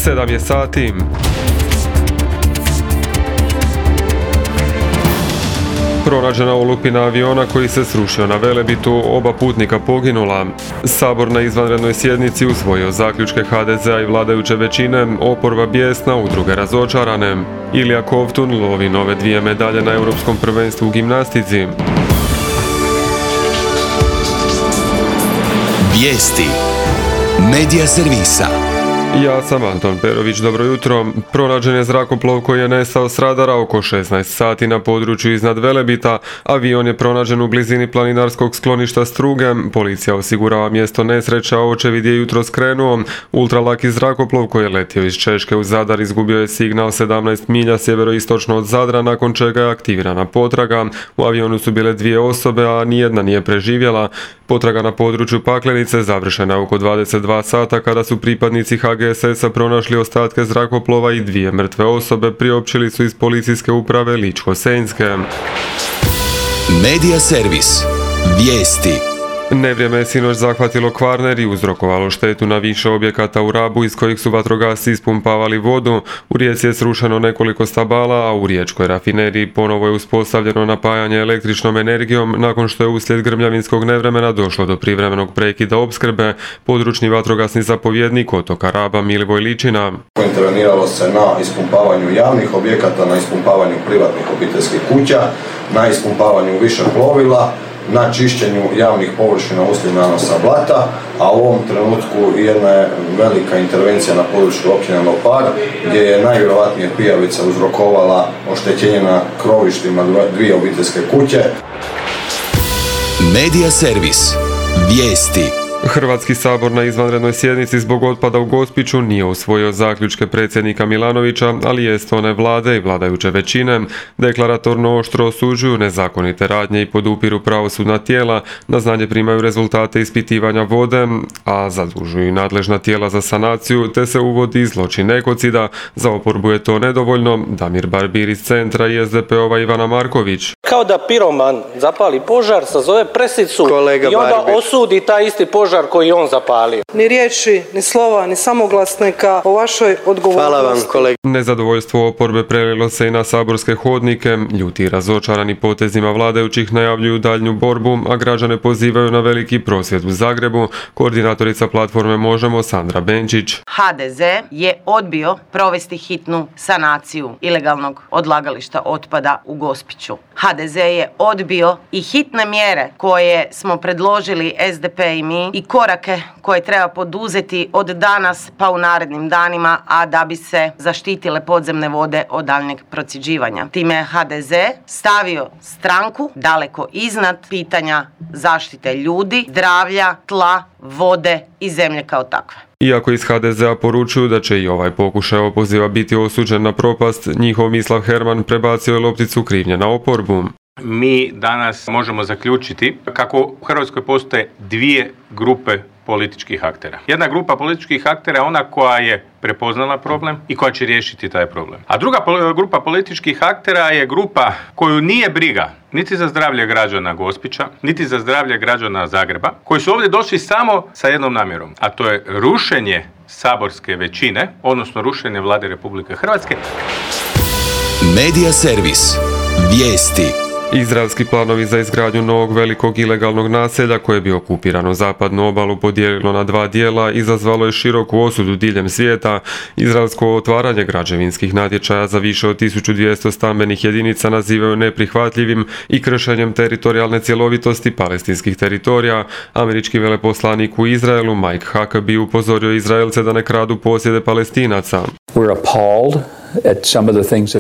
7 je sati. Pronađena olupina aviona koji se srušio na Velebitu, oba putnika poginula. Sabor na izvanrednoj sjednici usvojio zaključke HDZ-a i vladajuće većine, oporba bijesna, udruge razočarane. Ilija Kovtun lovi nove 2 medalje na Europskom prvenstvu u gimnastici. Vijesti Medija servisa. Ja sam Anton Perović, dobro jutro. Pronađen je zrakoplov koji je nestao s radara oko 16 sati na području iznad Velebita. Avion je pronađen u blizini planinarskog skloništa Struge. Policija osigurava mjesto nesreća, a očevid je jutro skrenuo. Ultralaki zrakoplov koji je letio iz Češke u Zadar izgubio je signal 17 milja sjeveroistočno od Zadra, nakon čega je aktivirana potraga. U avionu su bile 2 osobe, a nijedna nije preživjela. Potraga na području Paklenice završena oko 22 sata kada su pripadnici HGSS-a pronašli ostatke zrakoplova i 2 mrtve osobe, priopćili su iz policijske uprave Ličko-senjske. Medija servis. Vijesti. Nevrijeme je sinoć zahvatilo Kvarner i uzrokovalo štetu na više objekata u Rabu iz kojih su vatrogasci ispumpavali vodu. U Rijeci je srušeno nekoliko stabala, a u riječkoj rafineriji ponovo je uspostavljeno napajanje električnom energijom nakon što je uslijed grmljavinskog nevremena došlo do privremenog prekida opskrbe. Područni vatrogasni zapovjednik otoka Raba Milivoj Ličina. Interveniralo se na ispumpavanju javnih objekata, na ispumpavanju privatnih obiteljskih kuća, na ispumpavanju više plovila, na čišćenju javnih površina uslijed nanosa blata, a u ovom trenutku jedna je velika intervencija na području općine Lopar, gdje je najvjerojatnije pijavica uzrokovala oštećenje na krovištima 2 obiteljske kuće. Medija servis. Vijesti. Hrvatski sabor na izvanrednoj sjednici zbog otpada u Gospiću nije usvojio zaključke predsjednika Milanovića, ali jest one vlade i vladajuće većine. Deklaratorno oštro osuđuju nezakonite radnje i podupiru pravosudna tijela, na znanje primaju rezultate ispitivanja vode, a zadužuju i nadležna tijela za sanaciju, te se uvodi zločin ekocida. Za oporbu je to nedovoljno. Damir Barbir iz Centra i SDP-ova Ivana Marković. Kao da piroman zapali požar, sazove presicu i onda osudi taj isti požar koji on zapalio. Ni riječi, ni slova, ni samoglasnika o vašoj odgovornosti. Hvala vam, kolega. Nezadovoljstvo oporbe prelilo se i na saborske hodnike. Ljuti i razočarani potezima vladajućih najavljuju daljnju borbu, a građane pozivaju na veliki prosvjed u Zagrebu. Koordinatorica platforme Možemo Sandra Benčić. HDZ je odbio provesti hitnu sanaciju ilegalnog odlagališta otpada u Gospiću. HDZ je odbio i hitne mjere koje smo predložili SDP i mi i korake koje treba poduzeti od danas pa u narednim danima, a da bi se zaštitile podzemne vode od daljnjeg procjeđivanja. Time je HDZ stavio stranku daleko iznad pitanja zaštite ljudi, zdravlja, tla, vode i zemlje kao takve. Iako iz HDZ-a poručuju da će i ovaj pokušaj opoziva biti osuđen na propast, njihov Mislav Herman prebacio je lopticu krivnje na oporbu. Mi danas možemo zaključiti kako u Hrvatskoj postoje 2 grupe političkih aktera. Jedna grupa političkih aktera je ona koja je prepoznala problem i koja će riješiti taj problem. A druga grupa političkih aktera je grupa koju nije briga niti za zdravlje građana Gospića, niti za zdravlje građana Zagreba, koji su ovdje došli samo sa jednom namjerom, a to je rušenje saborske većine, odnosno rušenje Vlade Republike Hrvatske. Medija servis. Vijesti. Izraelski planovi za izgradnju novog velikog ilegalnog naselja koje bi okupirano zapadnu obalu podijelilo na 2 dijela izazvalo je široku osudu diljem svijeta. Izraelsko otvaranje građevinskih natječaja za više od 1200 stambenih jedinica nazivaju neprihvatljivim i kršenjem teritorijalne cjelovitosti palestinskih teritorija. Američki veleposlanik u Izraelu Mike Huckabee upozorio Izraelce da ne kradu posjede Palestinaca.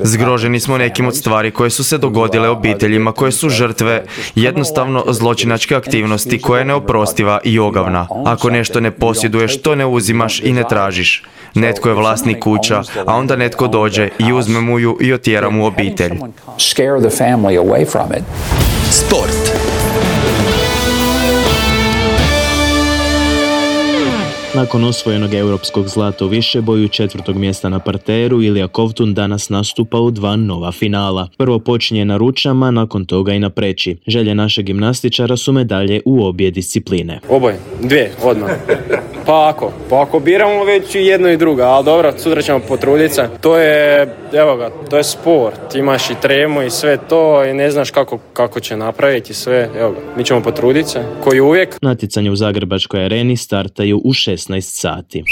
Zgroženi smo nekim od stvari koje su se dogodile obiteljima koje su žrtve jednostavno zločinačke aktivnosti koja je neoprostiva i ogavna. Ako nešto ne posjeduješ, to ne uzimaš i ne tražiš. Netko je vlasnik kuća, a onda netko dođe i uzme mu ju i otjera mu obitelj. Sport. Nakon osvojenog europskog zlata u višeboju, 4. mjesta na parteru, Ilija Kovtun danas nastupa u 2 nova finala. Prvo počinje na ručama, nakon toga i na preći. Želje našeg gimnastičara su medalje u obje discipline. Oboje, 2, odmah. Pa ako biramo već i jedno i drugo, ali dobro, sutra ćemo potruditi se. To je sport, imaš i tremu i sve to i ne znaš kako će napraviti sve, mi ćemo potruditi se, koji uvijek. Natjecanje u Zagrebačkoj areni startaju u 16 sati.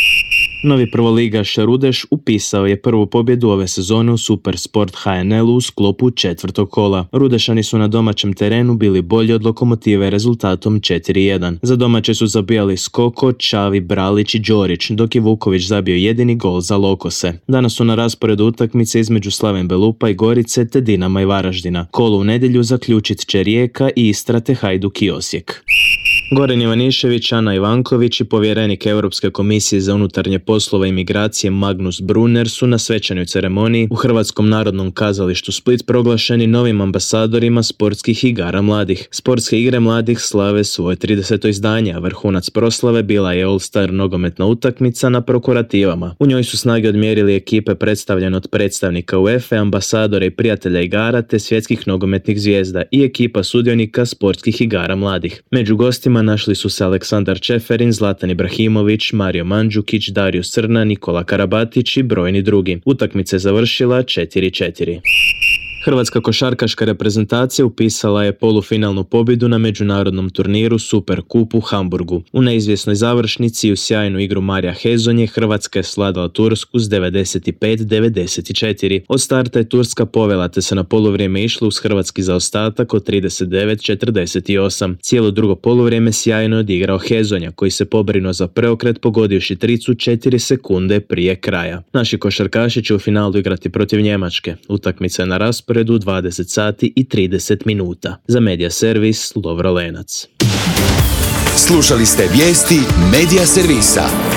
Novi prvoligaš Rudeš upisao je prvu pobjedu ove sezone u Supersport HNL-u u sklopu četvrtog kola. Rudešani su na domaćem terenu bili bolji od Lokomotive rezultatom 4-1. Za domaće su zabijali Skoko, Čavi, Bralić i Đorić, dok je Vuković zabio jedini gol za Lokose. Danas su na rasporedu utakmice između Slaven Belupa i Gorice te Dinama i Varaždina. Kolo u nedjelju zaključit će Rijeka i Istra te Hajduk i Osijek. Goran Ivanišević, Ana Ivanković i povjerenik Europske komisije za unutarnje poslove i migracije Magnus Brunner su na svečanoj ceremoniji u Hrvatskom narodnom kazalištu Split proglašeni novim ambasadorima sportskih igara mladih. Sportske igre mladih slave svoje 30. izdanje, a vrhunac proslave bila je All-Star nogometna utakmica na prokurativama. U njoj su snage odmjerili ekipe predstavljene od predstavnika UEFA, ambasadora i prijatelja igara te svjetskih nogometnih zvijezda i ekipa sudionika sportskih igara mladih. Među gostima našli su se Aleksandar Čeferin, Zlatan Ibrahimović, Mario Mandžukić, Dario Srna, Nikola Karabatić i brojni drugi. Utakmica je završila 4-4. Hrvatska košarkaška reprezentacija upisala je polufinalnu pobjedu na međunarodnom turniru Superkup u Hamburgu. U neizvjesnoj završnici i u sjajnu igru Marija Hezonje Hrvatska je svladala Tursku s 95-94. Od starta je Turska povela te se na poluvrijeme išla uz hrvatski zaostatak od 39-48. Cijelo drugo poluvrijeme sjajno je odigrao Hezonja koji se pobrinuo za preokret pogodivši tricu 4 sekunde prije kraja. Naši košarkaši će u finalu igrati protiv Njemačke. Utakmica je na rasporedu 20 sati i 30 minuta. Za Media Servis, Lovro Lenac. Slušali ste vijesti Media Servisa.